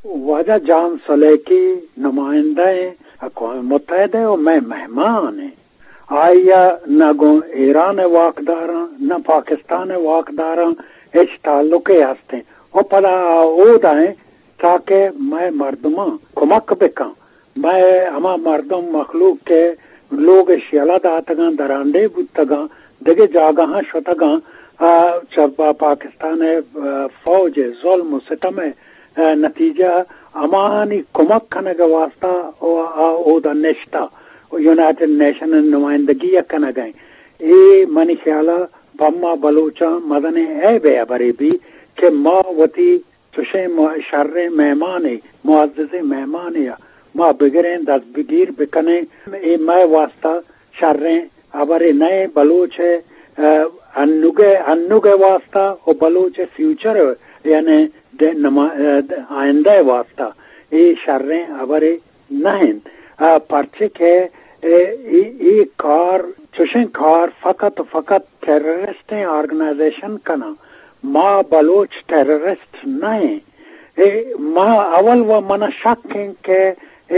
واجہ جان سلیکی نمائندہ اقوام متحدہ و مئے مہمان ایں۔ آئی ء نہ گوں ایران ء واکداراں، نہ پاکستان ء واکداراں ہچ تعلقے ہستیں۔ و پدا آ اودا ایں تاکہ مئے مردماں کمک بکن۔ مئے ہما مردم مخلوق کہ لوگ ء شیلہ داتگاں، درانڈے بوتگاں، دگہ جاگہاں شتگاں، آ، چہ با-، پاکستان ء، آ، فوج ء ظلم و ستم ء، آ، نتیجہ ہماہانی کمک کنگ ء واسطہ او-، آ اودا نشتہ و یونائیٹڈ نیشن ء نمائندگی ء کنگ ء۔ اے منی خیال ء پہ ما بلوچاں مزنیں عیب ء ہبرے بی کہ ما وتی چشیں م-، شریں مہمانے، معززیں مہمانے ء ما بگریں، دست بگیر بکنیں۔ اے مئے واسطہ شریں ہبرے نہ ایں۔ بلوچ ء، ء، انوگ ء، انوگ ء واسطہ و بلوچ ء فیوچر ء، یعنی د-، نما-، ء، د-، آئندہ ء واسطہ اے شریں ہبرے نہ انت۔ آ، پرچے کہ اے، اے، اے کار، چشیں کار فقط و فقط ٹیررسٹیں آرگنائزیشن کناں۔ ما بلوچ ٹیررسٹ نہ ایں۔ اے ما اول و منا شک انت کہ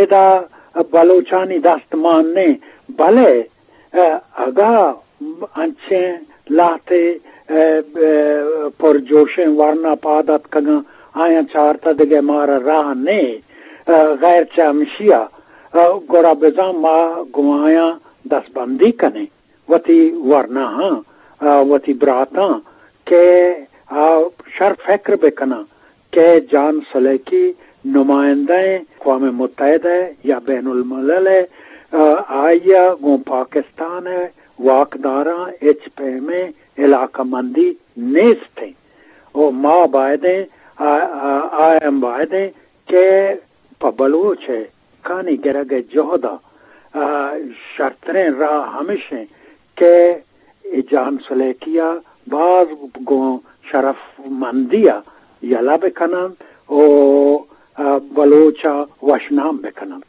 ادا بلوچانی دست مان نہ انت، بلے، ء، اگاں انچیں لہتے، ء، ء، پرجوشیں ورنا پاد اتکگاں، آیاں چارتہ دگہ مارا راہ نہ انت، ء، غیر چہ ہمشیا، ء، گڑا بزاں ما گوں آیاں دستبندی کنیں۔ وتی ورناہاں، آ، وتی براتاں کہ آ شر فکر بکناں کہ جان سلیکی نمائندہ اقوام متحدہ یا بین الملل ء، آ، آئی ء گوں پاکستان ء واکداراں ہچ پیمیں علاقہ مندی نیست انت۔ و ما بایدیں، آ، آ، آ ہم بایدیں کہ پہ بلوچ ء کانی گرگ ء جہد ء، آ، شرتریں راہ ہمیش انت کہ اے جان سلیکی ء باز گوں شرف مندی ء یلہ بکننت و، آ، بلوچ ء وشنام بکننت۔